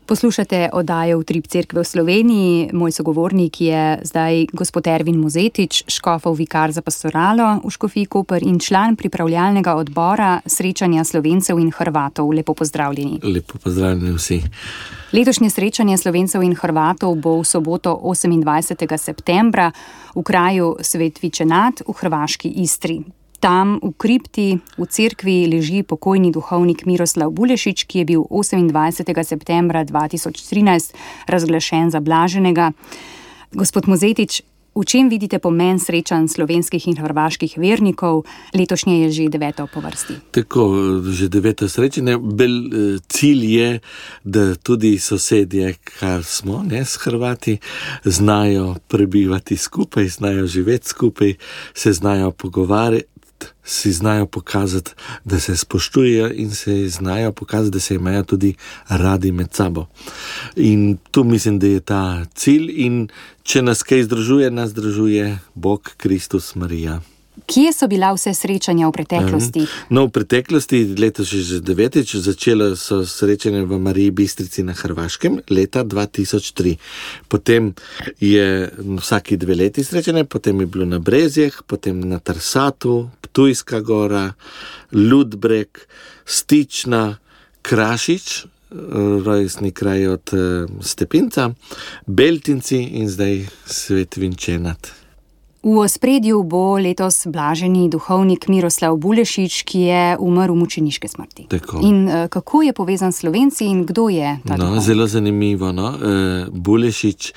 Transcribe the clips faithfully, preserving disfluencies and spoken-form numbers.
Poslušate oddajo Utrip cerkve v Sloveniji. Moj sogovornik je zdaj gospod Ervin Mozetič, škofov vikar za pastoralo v Škofiji Koper in član pripravljalnega odbora srečanja Slovencev in Hrvatov. Lepo pozdravljeni. Lepo pozdravljeni vsi. Letošnje srečanje Slovencev in Hrvatov bo v soboto osemindvajsetega septembra v kraju Svet Vičenat v hrvaški Istri. Tam v kripti v cerkvi leži pokojni duhovnik Miroslav Bulešič, ki je bil osemindvajsetega septembra dva tisoč trinajst razglašen za blaženega. Gospod Mozetič, v čem vidite pomen srečanj slovenskih in hrvaških vernikov? Letošnje je že deveto po vrsti. Tako, že deveto srečanje. Bel cilj je, da tudi sosedje, kar smo, ne, s Hrvati, znajo prebivati skupaj, znajo živeti skupaj, se znajo pogovarjati, si znajo pokazati, da se spoštujejo in se znajo pokazati, da se imajo tudi radi med sabo. In tu mislim, da je ta cilj in če nas kaj združuje, nas združuje Bog, Kristus, Marija. Kje so bila vse srečanja v preteklosti? No, v preteklosti, letos že devetič, začelo so srečanje v Mariji Bistrici na Hrvaškem leta dva tisoč tri. Potem je vsaki dve leti srečanje, potem je bilo na Brezjah, potem na Trsatu, Ptujska gora, Ludbreg, Stična, Krašič, rojstni kraj od Stepinca, Beltinci in zdaj Svet Vičenat. V ospredju bo letos blaženi duhovnik Miroslav Bulešič, ki je umrl mučeniške smrti. Tako. In kako je povezan s Slovenci in kdo je ta no, duhovnik? Zelo zanimivo. No? Bulešič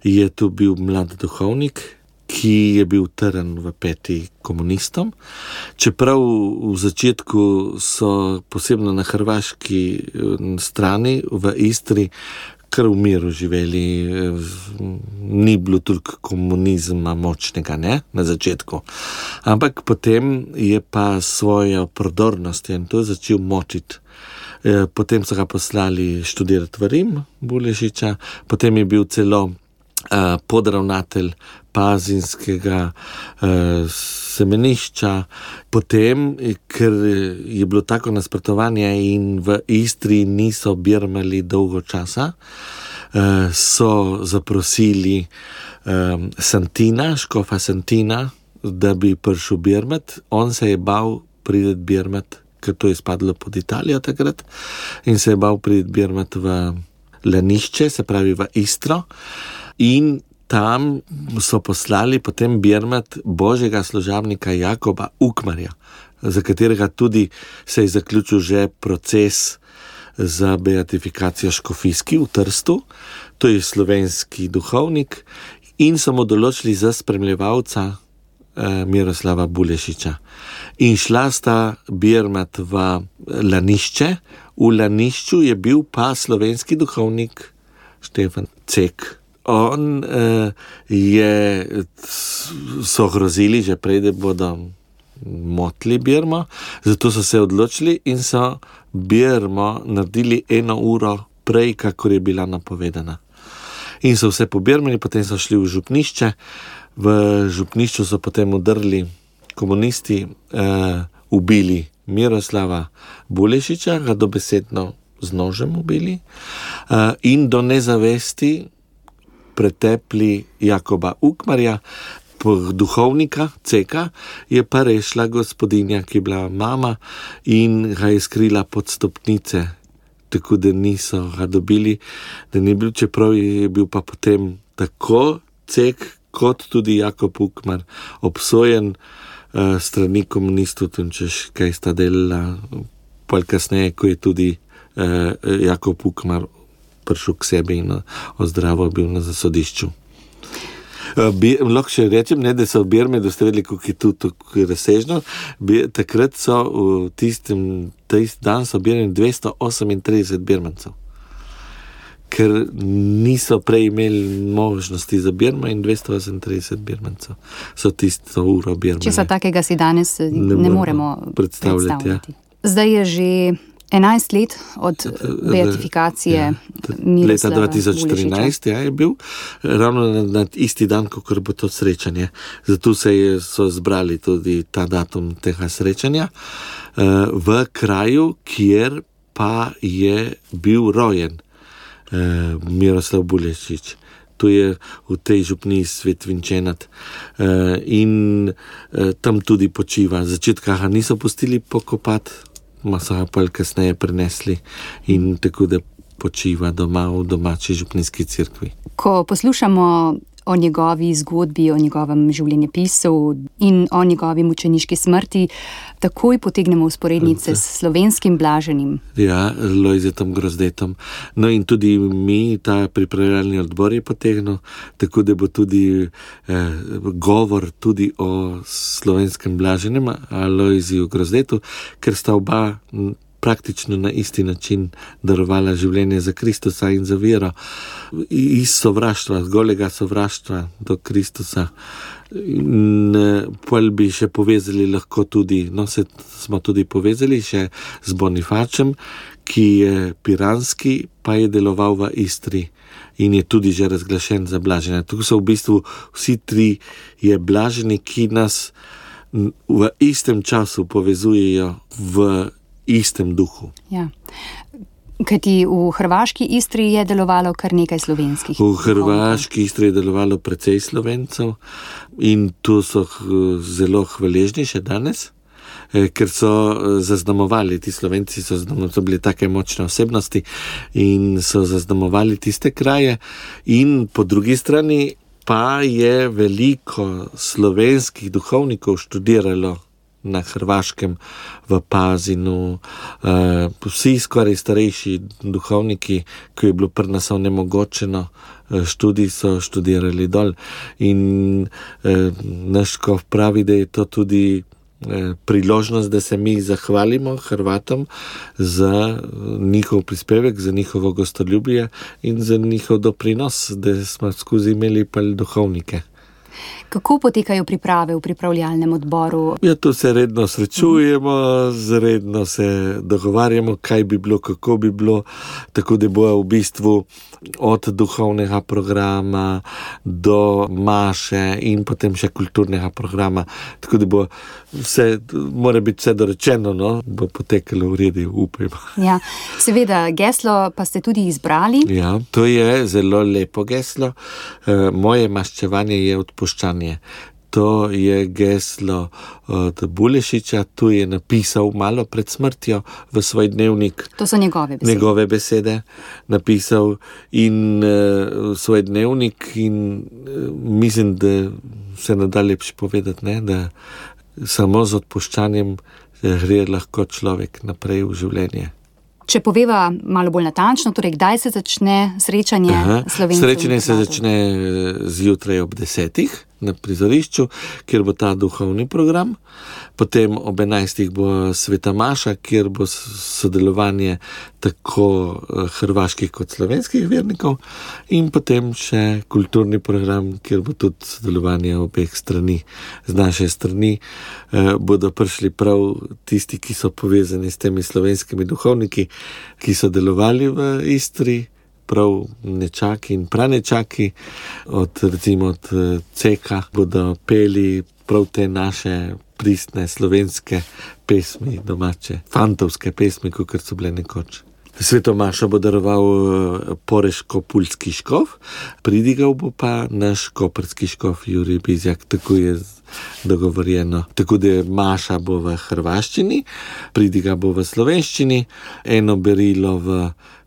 je tu bil mlad duhovnik, ki je bil trn v peti komunistom. Čeprav v začetku so posebno na hrvaški strani v Istri kar v miru živeli, ni bilo toliko komunizma močnega, ne, na začetku. Ampak potem je pa svojo prodornost in to začel močiti. Potem so ga poslali študirati v Rim, Bulešiča, potem je bil celo uh, podravnatelj pazinskega uh, semenišča, potem, ker je bilo tako nasprotovanje in v Istri niso birmali dolgo časa, uh, so zaprosili um, Santina, škofa Santina, da bi prišel birmat. On se je bal priti birmat, ker to je spadlo pod Italijo takrat, in se je bal priti birmat v Lanišče, se pravi v Istro, in tam so poslali potem birmat božjega služabnika Jakoba Ukmarja, za katerega tudi se je zaključil že proces za beatifikacijo škofijski v Trstu. To je slovenski duhovnik in so mu določili za spremljevalca eh, Miroslava Bulešiča. In šla sta birmat v Lanišče. V Lanišču je bil pa slovenski duhovnik Štefan Cek. On uh, je, so grozili že prej, da bodo motli birmo, zato so se odločili in so birmo naredili eno uro prej, kakor je bila napovedana. In so vse pobirmali, potem so šli v župnišče. V župnišču so potem udrli komunisti, uh, ubili Miroslava Bulešiča, ga dobesedno z nožem ubili uh, in do nezavesti pretepli Jakoba Ukmarja, duhovnika Ceka, je pa rešila gospodinja, ki je bila mama in ga je skrila pod stopnice, tako da niso ga dobili, da ni bil, čeprav je bil pa potem tako Cek kot tudi Jakob Ukmar obsojen uh, strani komunistov, tem češ kaj sta delala, pol kasneje, ko je tudi uh, Jakob Ukmar prišel k sebi in ozdravil bil na zasodišču. Bi, lahko še rečem, ne, da so v Birmi dostavili, kako je tu tako razsežno. Bi, takrat so v tistem, tist dan so birali dvesto osemintrideset birmancev. Ker niso prej imeli možnosti za Birmo in dvesto osemintrideset birmancev so tisto uro birmali. Če so takega si danes ne, ne moremo predstavljati. predstavljati. Ja. Zdaj je že enajst let od beatifikacije ja, Miroslava leta dva tisoč trinajst ja, je bil, ravno na, na isti dan, ko bo to srečanje. Zato se je, so zbrali tudi ta datum tega srečanja uh, v kraju, kjer pa je bil rojen uh, Miroslav Bulešič. Tu je v tej župniji Svetvinčenat uh, in uh, tam tudi počiva. Začetka ga niso pustili pokopati, ma so ga pa kasneje prenesli in tako da počiva doma v domači župnijski cerkvi. Ko poslušamo o njegovi zgodbi, o njegovem življenjepisu in o njegovi mučeniški smrti, takoj potegnemo usporednice s slovenskim blaženim. Ja, Lojzetom Grozdetom. No in tudi mi, ta pripravljalni odbor je potegnil, tako da bo tudi eh, govor tudi o slovenskem blaženem, Lojziju Grozdetu, ker sta oba praktično na isti način darovala življenje za Kristusa in za vero. Iz sovraštva, golega sovraštva do Kristusa. In pol bi še povezali lahko tudi, no se smo tudi povezali še z Bonifačem, ki je piranski, pa je deloval v Istri in je tudi že razglašen za blaženja. Tu so v bistvu vsi tri je blaženi, ki nas v istem času povezujejo v istem duhu. Ja. Kajti v hrvaški Istri je delovalo kar nekaj slovenskih. V hrvaški Istri je delovalo precej Slovencev in tu so zelo hvaležni še danes, ker so zaznamovali, ti Slovenci so, so bili take močne osebnosti in so zaznamovali tiste kraje in po drugi strani pa je veliko slovenskih duhovnikov študiralo na Hrvaškem, v Pazinu, uh, vsi skoraj starejši duhovniki, ki je bilo pri nas onemogočeno, uh, študij so študirali dol. In uh, naš škof pravi, da je to tudi uh, priložnost, da se mi zahvalimo Hrvatom za njihov prispevek, za njihovo gostoljubje in za njihov doprinos, da smo skozi imeli pa duhovnike. Kako potekajo priprave v pripravljalnem odboru? Ja, tu se redno srečujemo, redno se dogovarjamo, kaj bi bilo, kako bi bilo, tako da bo v bistvu od duhovnega programa do maše in potem še kulturnega programa. Tako da bo vse, mora biti vse dorečeno, no? Bo potekalo v redu, upajmo. Ja, seveda, geslo pa ste tudi izbrali. Ja, to je zelo lepo geslo. E, moje maščevanje je odpuščanje. To je geslo od Bulešiča, tu je napisal malo pred smrtjo v svoj dnevnik. To so njegove besede. Njegove besede napisal in uh, svoj dnevnik in uh, mislim, da se ne da lepše povedati, ne, da samo z odpuščanjem gre lahko človek naprej v življenje. Če poveva malo bolj natančno, torej kdaj se začne srečanje Slovencev? Srečanje se začne zjutraj ob desetih na prizorišču, kjer bo ta duhovni program. Potem ob enajstih bo sveta maša, kjer bo sodelovanje tako hrvaških kot slovenskih vernikov in potem še kulturni program, kjer bo tudi sodelovanje obeh strani. Z naše strani eh, bodo prišli prav tisti, ki so povezani s temi slovenskimi duhovniki, ki so delovali v Istri, prav nečaki in pranečaki, od recimo od Ceka bodo peli prav te naše pristne slovenske pesmi, domače, fantovske pesmi, kakor so bile nekoč. Sveto mašo bo daroval poreško-pulski škof, pridigal bo pa naš koprski škof Jurij Bizjak, tako je dogovorjeno. Tako da maša bo v hrvaščini, pridiga bo v slovenščini, eno berilo v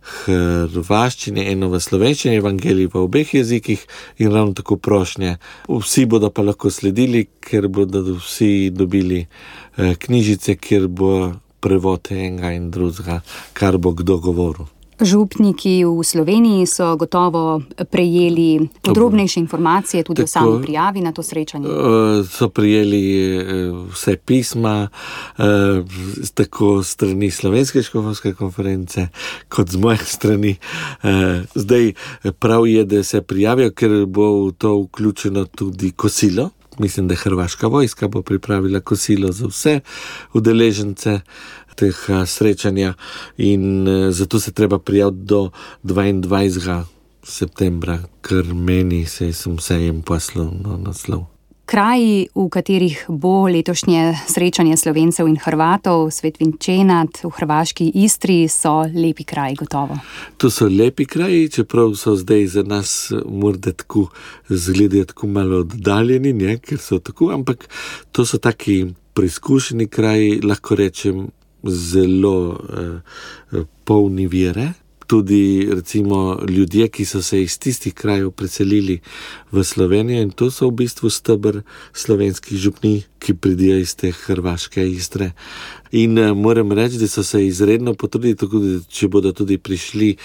hrvaščini, eno v slovenščini, evangelij v obeh jezikih in ravno tako prošnje. Vsi bodo pa lahko sledili, ker bodo vsi dobili eh, knjižice, kjer bo prevod enega in drugega, kar bo kdo govoril. Župniki v Sloveniji so gotovo prejeli podrobnejše informacije tudi tako, o sami prijavi na to srečanje. So prijeli vse pisma, tako strani Slovenske škofovske konference, kot z moje strani. Zdaj prav je, da se prijavijo, ker bo v to vključeno tudi kosilo. Mislim, da Hrvaška vojska bo pripravila kosilo za vse udeležence teh srečanja in zato se treba prijaviti do dvaindvajsetega septembra, ker meni se sem sejem poslal na naslov. Kraji, v katerih bo letošnje srečanje Slovencev in Hrvatov, Svetvinčenat v hrvaški Istri, so lepi kraji gotovo. To so lepi kraji, čeprav so zdaj za nas morda tako zgledajo tako malo oddaljeni, ne, ker so tako, ampak to so taki preizkušeni kraji, lahko rečem, zelo eh, polni vere. Tudi recimo ljudje, ki so se iz tistih krajev preselili v Slovenijo, in to so v bistvu steber slovenskih župnij, ki pridijo iz te hrvaške Istre. In uh, moram reči, da so se izredno potrudili, tako da če bodo tudi prišli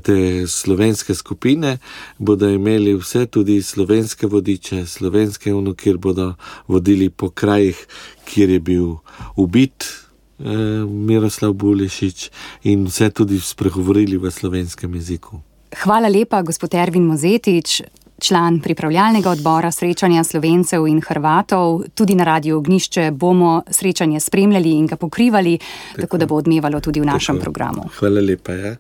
te slovenske skupine, bodo imeli vse tudi slovenske vodiče, slovenske ono, kjer bodo vodili po krajih, kjer je bil ubit Miroslav Bulešič, in vse tudi spregovorili v slovenskem jeziku. Hvala lepa, gospod Ervin Mozetič, član pripravljalnega odbora srečanja Slovencev in Hrvatov. Tudi na Radiu Ognjišče bomo srečanje spremljali in ga pokrivali, tako, tako da bo odmevalo tudi v našem tako. programu. Hvala lepa, ja.